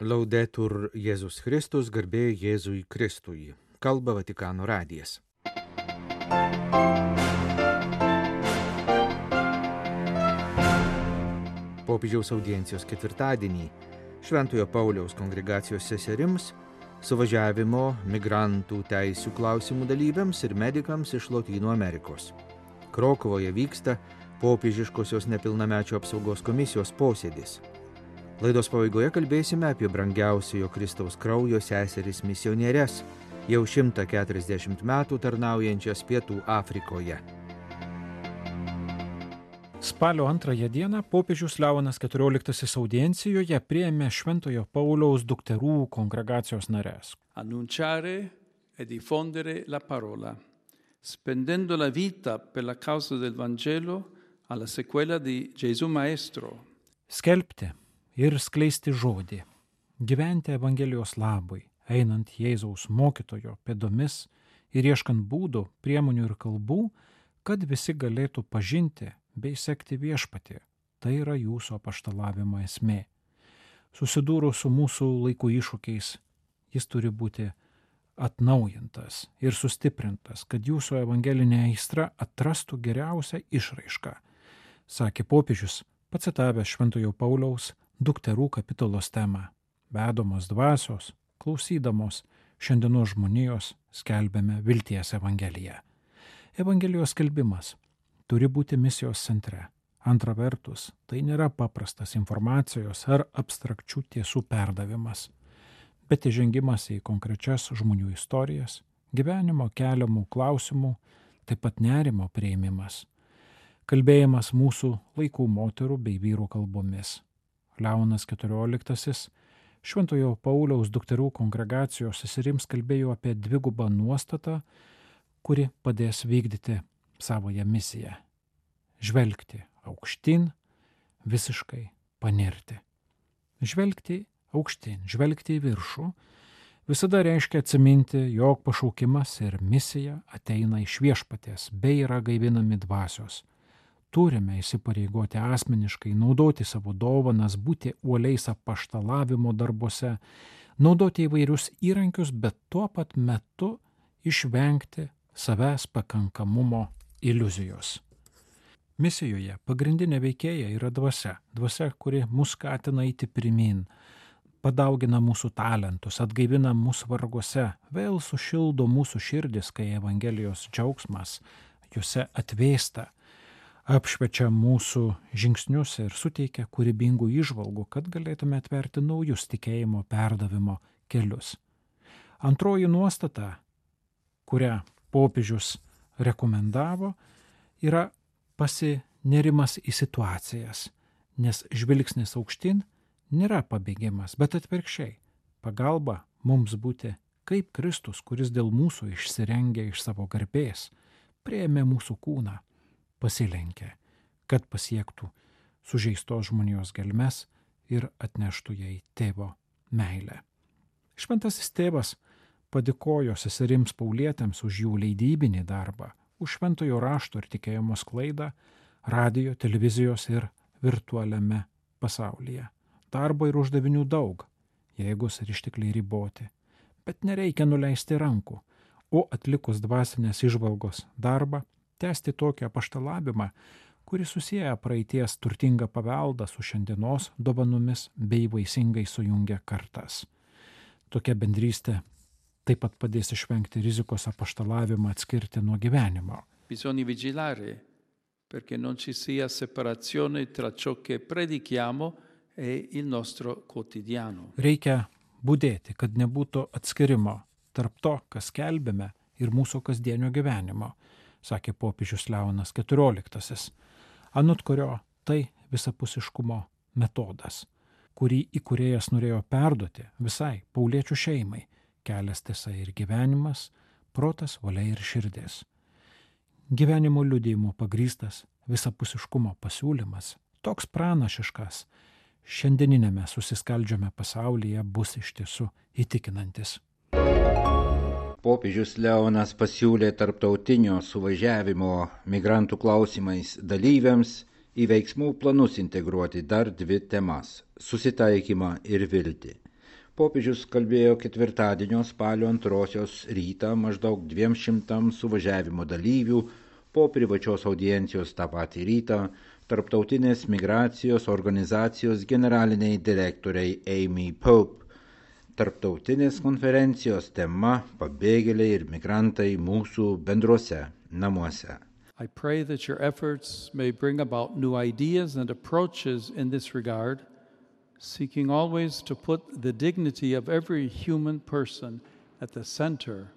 Laudetur Jėzus Kristus, garbė Jėzui Kristui. Kalba Vatikano radijas. Popiežiaus audiencijos ketvirtadienį Šventojo Pauliaus kongregacijos seserims, suvažiavimo migrantų teisių klausimų dalyviams ir medikams iš Lotynų Amerikos. Krokuvoje vyksta popiežiškosios nepilnamečių apsaugos komisijos posėdis. Laidos pabaigoje kalbėsime apie brangiausiojo Kristaus kraujo seseris misionierės, jau 140 metų tarnaujančias Pietų Afrikoje. Spalio 2 dieną popiežius Leonas XIV audiencijoje priėmė Šventojo Pauliaus dukterų kongregacijos nares. Annunciare e diffondere la parola, spendendo la vita per la causa del Vangelo alla sequela di Gesù Maestro. Skelbti ir skleisti žodį, gyventi Evangelijos labui, einant Jėzaus mokytojo pėdomis ir ieškant būdų, priemonių ir kalbų, kad visi galėtų pažinti bei sekti viešpatį. Tai yra jūsų apaštalavimo esmė. Susidūrus su mūsų laikų iššūkiais, jis turi būti atnaujintas ir sustiprintas, kad jūsų evangelinė aistra atrastų geriausią išraišką, sakė popiežius, pacitavęs Šventojo Pauliaus dukterų kapitulos temą. Vedamos dvasios, klausydamos šiandienos žmonijos, skelbėme vilties evangeliją. Evangelijos skelbimas turi būti misijos centre. Antra vertus, tai nėra paprastas informacijos ar abstrakčių tiesų perdavimas, bet įžengimas į konkrečias žmonių istorijas, gyvenimo keliamų klausimų, taip pat nerimo priėmimas, kalbėjimas mūsų laikų moterų bei vyrų kalbomis. Leonas XIV Šventojo Pauliaus dukterų kongregacijos seserims kalbėjo apie dvigubą nuostatą, kuri padės vykdyti savoją misiją. Žvelgti aukštyn, visiškai panirti. Žvelgti aukštyn, žvelgti į viršų, visada reiškia atsiminti, jog pašaukimas ir misija ateina iš viešpaties bei yra gaivinami dvasios. Turime įsipareigoti asmeniškai, naudoti savo dovanas, būti uoliais apaštalavimo darbuose, naudoti įvairius įrankius, bet tuo pat metu išvengti savęs pakankamumo iliuzijos. Misijoje pagrindinė veikėja yra dvasia, kuri mus skatina eiti pirmyn, padaugina mūsų talentus, atgaivina mūsų varguose, vėl sušildo mūsų širdis, kai Evangelijos džiaugsmas juose atvėsta, apšviečia mūsų žingsnius ir suteikia kūrybingų įžvalgų, kad galėtume atverti naujus tikėjimo perdavimo kelius. Antroji nuostata, kurią popiežius rekomendavo, yra pasinerimas į situacijas, nes žvilgsnis aukštyn nėra pabėgimas, bet atvirkščiai pagalba mums būti kaip Kristus, kuris dėl mūsų išsirengė iš savo garbės, priėmė mūsų kūną, pasilenkė, kad pasiektų sužeistos žmonijos gelmes ir atneštų jai tėvo meilę. Šventasis tėvas padėkojo seserims paulietėms už jų leidybinį darbą, už šventojo rašto ir tikėjimo sklaidą radijo, televizijos ir virtualiame pasaulyje. Darbo ir uždavinių daug, jėgos ir ištekliai riboti, bet nereikia nuleisti rankų, o atlikus dvasinės įžvalgos darbą, tęsti tokį apaštalavimą, kuris susieja praeities turtingą paveldą su šiandienos dovanomis bei vaisingai sujungia kartas. Tokia bendrystė taip pat padės išvengti rizikos apaštalavimą atskirti nuo gyvenimo. Bisogna vigilare perché non ci sia separazione tra ciò che predichiamo e il nostro quotidiano. Reikia budėti, kad nebūtų atskirimo tarp to, kas skelbėme, ir mūsų kasdienio gyvenimo, sakė popiežius Leonas XIV, anot kurio tai visapusiškumo metodas, kurį įkūrėjas norėjo perduoti visai pauliečių šeimai, kelias, tiesa ir gyvenimas, protas, valia ir širdis. Gyvenimo liudijimo pagrįstas visapusiškumo pasiūlymas, toks pranašiškas, šiandieninėme susiskaldžiame pasaulyje bus iš tiesų įtikinantis. Popiežius Leonas pasiūlė tarptautinio suvažiavimo migrantų klausimais dalyviams į veiksmų planus integruoti dar 2 temas – susitaikymą ir viltį. Popiežius kalbėjo ketvirtadienio spalio 2 rytą maždaug 200 suvažiavimo dalyvių po privačios audiencijos tą patį rytą Tarptautinės migracijos organizacijos generaliniai direktoriai Amy Pope. Tarptautinės konferencijos tema – pabėgėliai ir migrantai mūsų bendruose namuose. I pray that your efforts may bring about new ideas and approaches in this regard, seeking always to put the dignity of every human person at the center.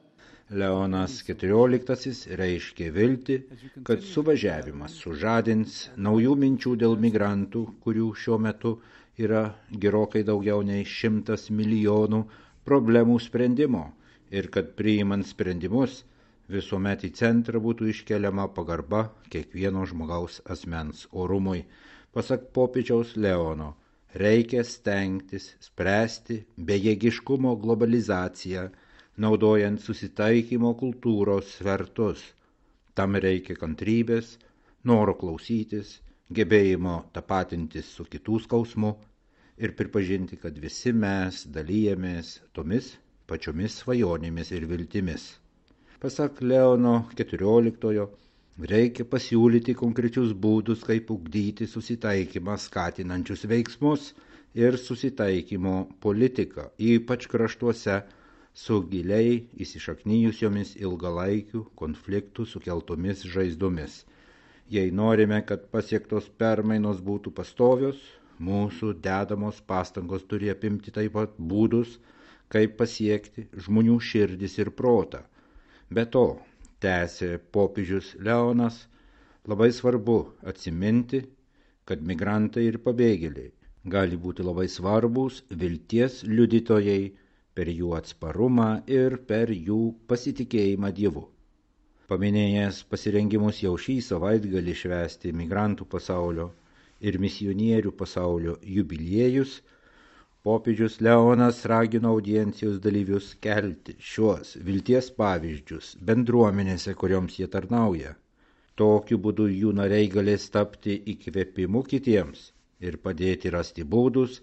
Leonas XIV reiškė viltį, kad suvažiavimas sužadins naujų minčių dėl migrantų, kurių šiuo metu yra gerokai daugiau nei 100 milijonų problemų sprendimo ir kad priimant sprendimus visuomet į centrą būtų iškeliama pagarba kiekvieno žmogaus asmens orumui. Pasak popiežiaus Leono, reikia stengtis spręsti bejėgiškumo globalizaciją, naudojant susitaikymo kultūros svertus. Tam reikia kantrybės, noro klausytis, gebėjimo tapatintis su kitų skausmu ir pripažinti, kad visi mes dalyjamės tomis pačiomis svajonėmis ir viltimis. Pasak Leono XIV, reikia pasiūlyti konkrečius būdus, kaip ugdyti susitaikymą skatinančius veiksmus ir susitaikymo politiką, ypač kraštuose su giliai įsišaknijusiomis ilgalaikių konfliktų sukeltomis žaizdomis. Jei norime, kad pasiektos permainos būtų pastovios, mūsų dedamos pastangos turi apimti taip pat būdus, kaip pasiekti žmonių širdis ir protą. Be to, tęsė popiežius Leonas, labai svarbu atsiminti, kad migrantai ir pabėgėliai gali būti labai svarbūs vilties liudytojai per jų atsparumą ir per jų pasitikėjimą Dievu. Paminėjęs pasirengimus jau šį savaitgalį švęsti migrantų pasaulio ir misionierių pasaulio jubiliejus, popiežius Leonas ragino audiencijos dalyvius kelti šiuos vilties pavyzdžius bendruomenėse, kurioms jie tarnauja. Tokiu būdu jų nariai galės tapti įkvėpimu kitiems ir padėti rasti būdus,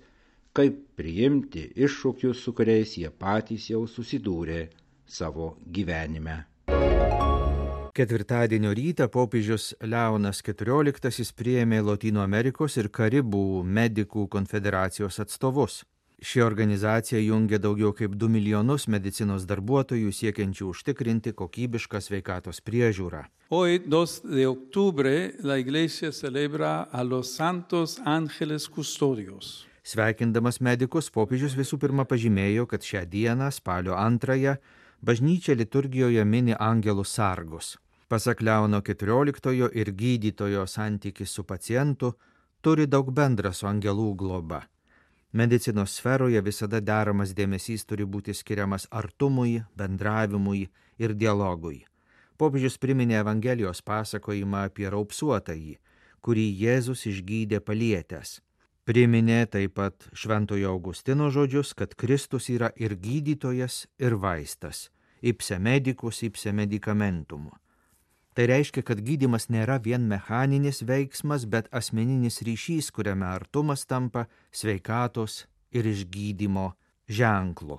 kaip priimti iššūkius, su kuriais jie patys jau susidūrė savo gyvenime. Ketvirtadienio rytą popiežius Leonas XIV priėmė Lotynų Amerikos ir Karibų medikų konfederacijos atstovus. Ši organizacija jungia daugiau kaip 2 milijonus medicinos darbuotojų siekiančių užtikrinti kokybišką sveikatos priežiūrą. Hoy, 2 de octubre, la Iglesia celebra a los santos ángeles custodios. Sveikindamas medikus, popiežius visų pirma pažymėjo, kad šią dieną, spalio 2, bažnyčia liturgijoje mini angelų sargus. Pasak Leono XIV ir gydytojo santykis su pacientu turi daug bendra su angelų globa. Medicinos sferoje visada deramas dėmesys turi būti skiriamas artumui, bendravimui ir dialogui. Popiežius priminė Evangelijos pasakojimą apie raupsuotąjį, kurį Jėzus išgydė palietęs. Priminė taip pat Šventojo Augustino žodžius, kad Kristus yra ir gydytojas, ir vaistas, ipse medicus, ipse medicamentum. Tai reiškia, kad gydymas nėra vien mechaninis veiksmas, bet asmeninis ryšys, kuriame artumas tampa sveikatos ir išgydymo ženklu.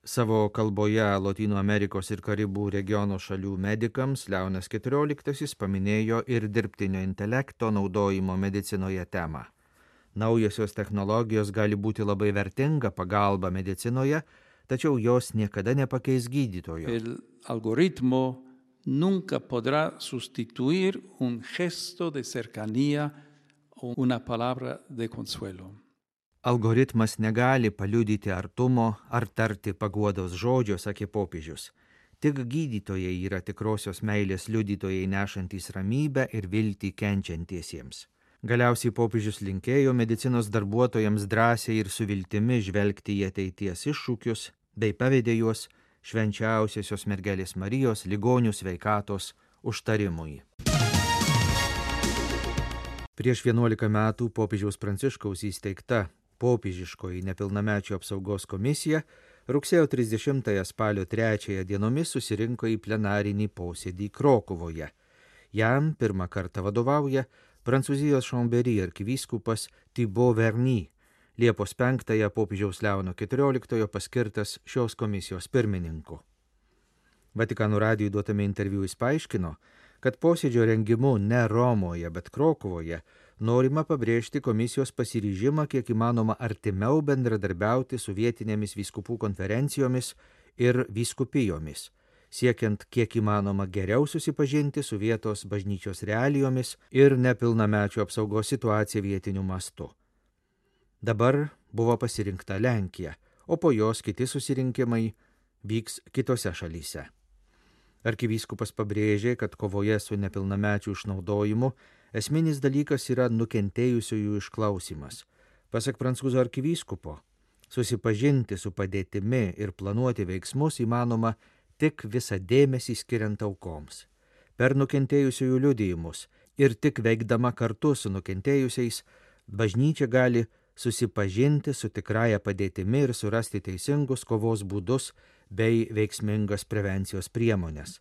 Savo kalboje Lotynų Amerikos ir Karibų regiono šalių medikams Leonas XIV paminėjo ir dirbtinio intelekto naudojimo medicinoje temą. Naujosios technologijos gali būti labai vertinga pagalba medicinoje, tačiau jos niekada nepakeis gydytojo. El algoritmo nunca podrá sustituir un gesto de cercanía o una palabra de consuelo. Algoritmas negali paliudyti artumo ar tarti paguodos žodžio, sakė popiežius. Tik gydytojai yra tikrosios meilės liudytojai nešantys ramybę ir viltį kenčiantiesiems. Galiausiai popiežius linkėjo medicinos darbuotojams drąsiai ir su viltimi žvelgti į ateities iššūkius, bei pavedė juos švenčiausiosios mergelės Marijos ligonių sveikatos užtarimui. Prieš 11 metų popiežiaus Pranciškaus įsteigta popiežiškoji nepilnamečių apsaugos komisija rugsėjo 30 spalio 3 dienomis susirinko į plenarinį posėdį Krokuvoje. Jam pirmą kartą vadovauja Prancūzijos Chambéry arkivyskupas Thibaut Verny, Liepos 5 popiežiaus Leono XIV paskirtas šios komisijos pirmininku. Vatikano radijui duotame interviu jis paaiškino, kad posėdžio rengimu ne Romoje, bet Krokuvoje norima pabrėžti komisijos pasiryžimą kiek įmanoma artimiau bendradarbiauti su vietinėmis vyskupų konferencijomis ir vyskupijomis, siekiant kiek įmanoma geriau susipažinti su vietos bažnyčios realijomis ir nepilnamečių apsaugos situacija vietiniu mastu. Dabar buvo pasirinkta Lenkija, o po jos kiti susirinkimai vyks kitose šalyse. Arkivyskupas pabrėžė, kad kovoje su nepilnamečių išnaudojimu esminis dalykas yra nukentėjusiųjų išklausimas. Pasak prancūzų arkivyskupo, susipažinti su padėtimi ir planuoti veiksmus įmanoma tik visą dėmesį skiriant aukoms, per nukentėjusiųjų liudijimus ir tik veikdama kartu su nukentėjusiais, bažnyčia gali susipažinti su tikrąja padėtimi ir surasti teisingus kovos būdus bei veiksmingas prevencijos priemonės.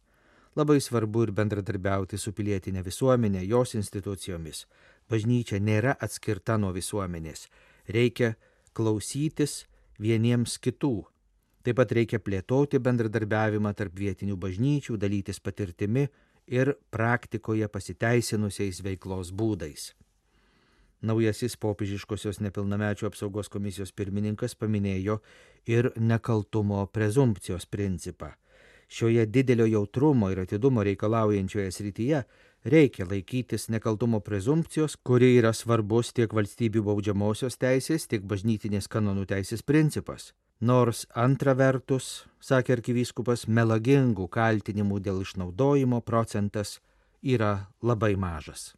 Labai svarbu ir bendradarbiauti su pilietinė visuomenė, jos institucijomis. Bažnyčia nėra atskirta nuo visuomenės. Reikia klausytis vieniems kitų. Taip pat reikia plėtoti bendradarbiavimą tarp vietinių bažnyčių, dalytis patirtimi ir praktikoje pasiteisinusiais veiklos būdais. Naujasis popiežiškosios nepilnamečių apsaugos komisijos pirmininkas paminėjo ir nekaltumo prezumpcijos principą. Šioje didelio jautrumo ir atidumo reikalaujančioje srityje reikia laikytis nekaltumo prezumpcijos, kuri yra svarbus tiek valstybių baudžiamosios teisės, tiek bažnytinės kanonų teisės principas. Nors antra vertus, sakė arkivyskupas, melagingų kaltinimų dėl išnaudojimo procentas yra labai mažas.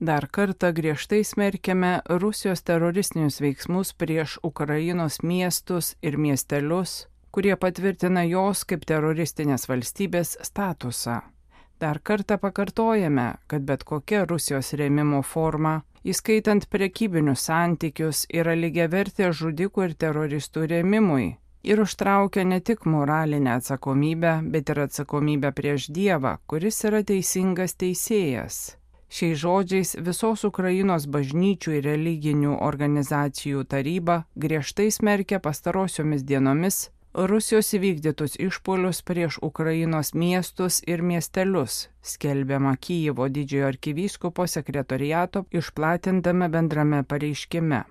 Dar kartą griežtai smerkiame Rusijos teroristinius veiksmus prieš Ukrainos miestus ir miestelius, kurie patvirtina jos kaip teroristinės valstybės statusą. Dar kartą pakartojame, kad bet kokia Rusijos rėmimo forma, įskaitant prekybinius santykius, yra lygiavertė žudikų ir teroristų rėmimui ir užtraukia ne tik moralinę atsakomybę, bet ir atsakomybę prieš Dievą, kuris yra teisingas teisėjas. Šiais žodžiais visos Ukrainos bažnyčių ir religinių organizacijų taryba griežtai smerkia pastarosiomis dienomis Rusijos įvykdytus išpuolius prieš Ukrainos miestus ir miestelius, skelbiama Kijevo didžiojo arkivyskupo sekretoriato išplatintame bendrame pareiškime.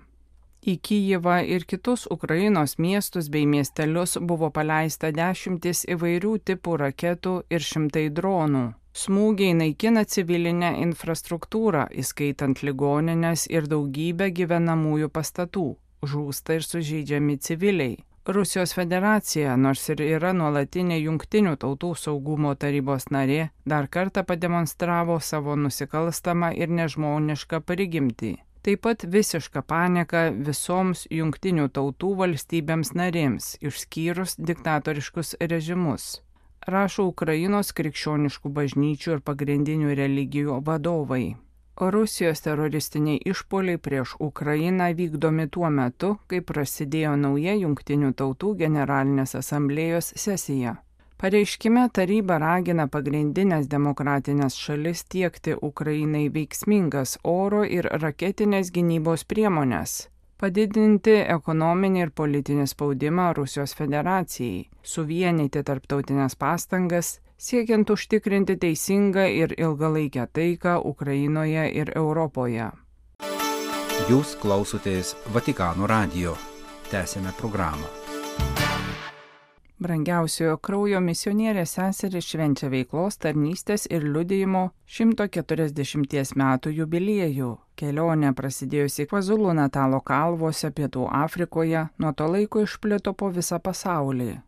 Į Kijevą ir kitus Ukrainos miestus bei miestelius buvo paleista 10 įvairių tipų raketų ir 100 dronų. Smūgiai naikina civilinę infrastruktūrą, įskaitant ligonines ir daugybę gyvenamųjų pastatų. Žūsta ir sužeidžiami civiliai. Rusijos federacija, nors ir yra nuolatinė Jungtinių tautų saugumo tarybos narė, dar kartą pademonstravo savo nusikalstamą ir nežmonišką prigimtį. Taip pat visišką paniką visoms Jungtinių tautų valstybėms narėms, išskyrus diktatoriškus režimus, rašo Ukrainos krikščioniškų bažnyčių ir pagrindinių religijų vadovai. Rusijos teroristiniai išpuoliai prieš Ukrainą vykdomi tuo metu, kai prasidėjo nauja Jungtinių tautų generalinės asamblėjos sesija. Pareiškime taryba ragina pagrindinės demokratinės šalis tiekti Ukrainai veiksmingas oro ir raketinės gynybos priemonės, padidinti ekonominį ir politinį spaudimą Rusijos federacijai, suvienyti tarptautinės pastangas, siekiant užtikrinti teisingą ir ilgalaikę taiką Ukrainoje ir Europoje. Jūs klausotės Vatikano radijo. Tęsėme programą. Brangiausiojo kraujo misionierės seserys švenčia veiklos, tarnystės ir liudijimo 140 metų jubiliejų. Kelionė prasidėjusi Kvazulu Natalo kalvose Pietų Afrikoje nuo to laiko išplito po visą pasaulį.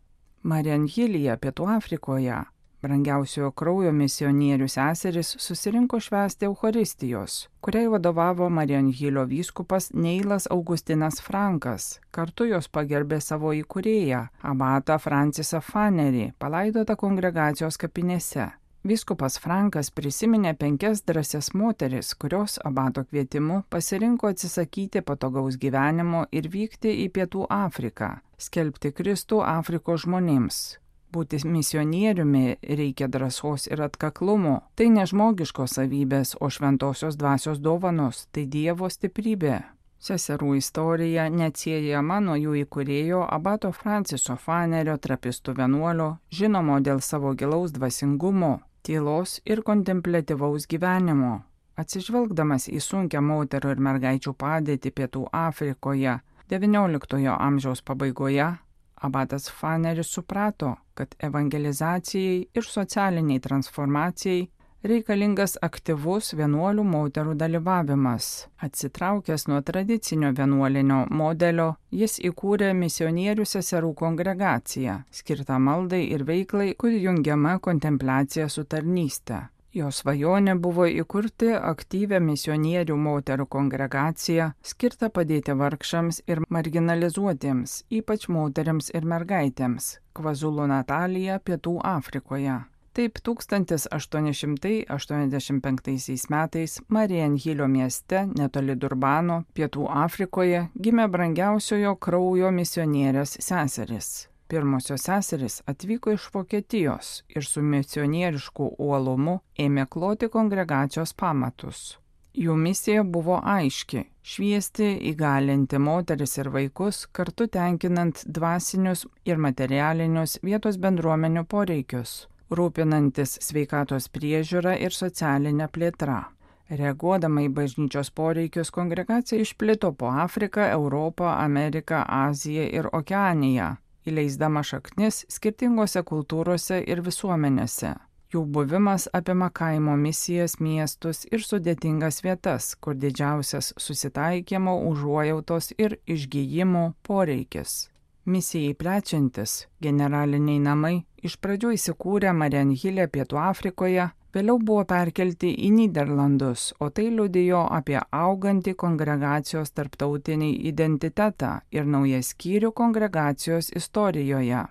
Marianhilyje, Pietų Afrikoje, brangiausiojo kraujo misionierių seserys susirinko švęsti Eucharistijos, kuriai vadovavo Marianhilio vyskupas Neilas Augustinas Frankas. Kartu jos pagerbė savo įkūrėją, abatą Francisą Fanerį, palaidotą kongregacijos kapinėse. Vyskupas Frankas prisiminė 5 drąsias moteris, kurios abato kvietimu pasirinko atsisakyti patogaus gyvenimo ir vykti į Pietų Afriką, skelbti Kristų Afrikos žmonėms. Būti misionieriumi reikia drąsos ir atkaklumo. Tai ne žmogiškos savybės, o šventosios dvasios dovanos, tai Dievo stiprybė. Seserų istorija neatsiejama nuo jų įkūrėjo abato Franciso Fanerio, trapistų vienuolio, žinomo dėl savo gilaus dvasingumo, tylos ir kontempliatyvaus gyvenimo. Atsižvelgdamas į sunkią moterų ir mergaičių padėtį Pietų Afrikoje XIX amžiaus pabaigoje, abatas Faneris suprato, kad evangelizacijai ir socialiniai transformacijai reikalingas aktyvus vienuolių moterų dalyvavimas. Atsitraukęs nuo tradicinio vienuolinio modelio, jis įkūrė misionierių seserų kongregaciją, skirtą maldai ir veiklai, kuri jungiama kontempliacija su tarnyste. Jo svajonė buvo įkurti aktyvią misionierių moterų kongregaciją, skirtą padėti vargšams ir marginalizuotiems, ypač moteriams ir mergaitėms, Kvazulu Natalija, Pietų Afrikoje. Taip 1885 metais Marienhilio mieste, netoli Durbano, Pietų Afrikoje, gimė brangiausiojo kraujo misionierės seserys. Pirmosios seserys atvyko iš Vokietijos ir su misionierišku uolumu ėmė kloti kongregacijos pamatus. Jų misija buvo aiški – šviesti, įgalinti moteris ir vaikus, kartu tenkinant dvasinius ir materialinius vietos bendruomenių poreikius, rūpinantis sveikatos priežiūra ir socialinė plėtra. Reaguodama į bažnyčios poreikius, kongregacija išplito po Afriką, Europą, Ameriką, Aziją ir Okeaniją, įleisdama šaknis skirtingose kultūrose ir visuomenėse. Jų buvimas apima kaimo misijas, miestus ir sudėtingas vietas, kur didžiausias susitaikymo, užuojautos ir išgijimo poreikis. Misijai plečiantis, generaliniai namai iš pradžių įsikūrė Marienhile, Pietų Afrikoje, vėliau buvo perkelti į Nyderlandus, o tai liudijo apie augantį kongregacijos tarptautinį identitetą ir naują skyrių kongregacijos istorijoje.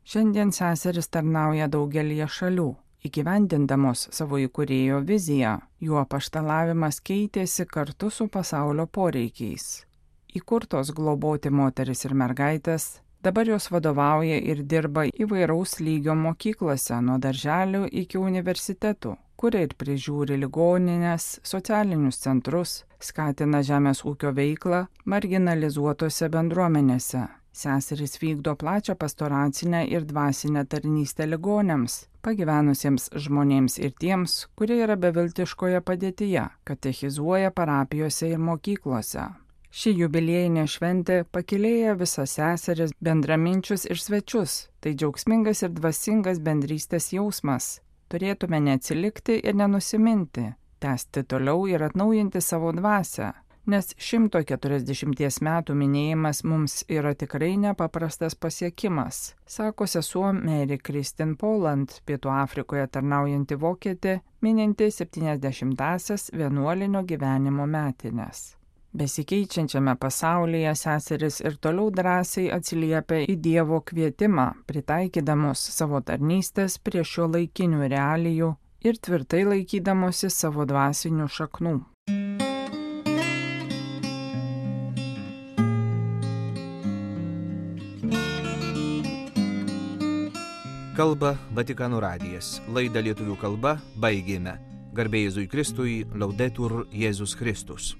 Šiandien seseris tarnauja daugelyje šalių. Įgyvendindamos savo įkūrėjo viziją, jų apaštalavimas keitėsi kartu su pasaulio poreikiais. Įkurtos globoti moteris ir mergaitės, dabar jos vadovauja ir dirba įvairaus lygio mokyklose, nuo darželių iki universitetų, kuria ir prižiūri ligonines, socialinius centrus, skatina žemės ūkio veiklą marginalizuotose bendruomenėse. Seserys vykdo plačią pastoracinę ir dvasinę tarnystę ligoniams, pagyvenusiems žmonėms ir tiems, kurie yra beviltiškoje padėtyje, katechizuoja parapijose ir mokyklose. Ši jubiliejinė šventė pakylėja visas seseris, bendraminčius ir svečius. Tai džiaugsmingas ir dvasingas bendrystės jausmas. Turėtume neatsilikti ir nenusiminti, tęsti toliau ir atnaujinti savo dvasią, nes 140 metų minėjimas mums yra tikrai nepaprastas pasiekimas, sako sesuo Mary Kristin Poland, Pietų Afrikoje tarnaujanti vokietė, mininti 70-asias vienuolinio gyvenimo metines. Besikeičiančiame pasaulyje seseris ir toliau drąsiai atsiliepia į Dievo kvietimą, pritaikydamos savo tarnystės prie šio laikinių realijų ir tvirtai laikydamosi savo dvasinių šaknų. Kalba Vatikano radijas. Laidą lietuvių kalba baigėme. Garbė Jėzui Kristui, Laudetur Jėzus Kristus.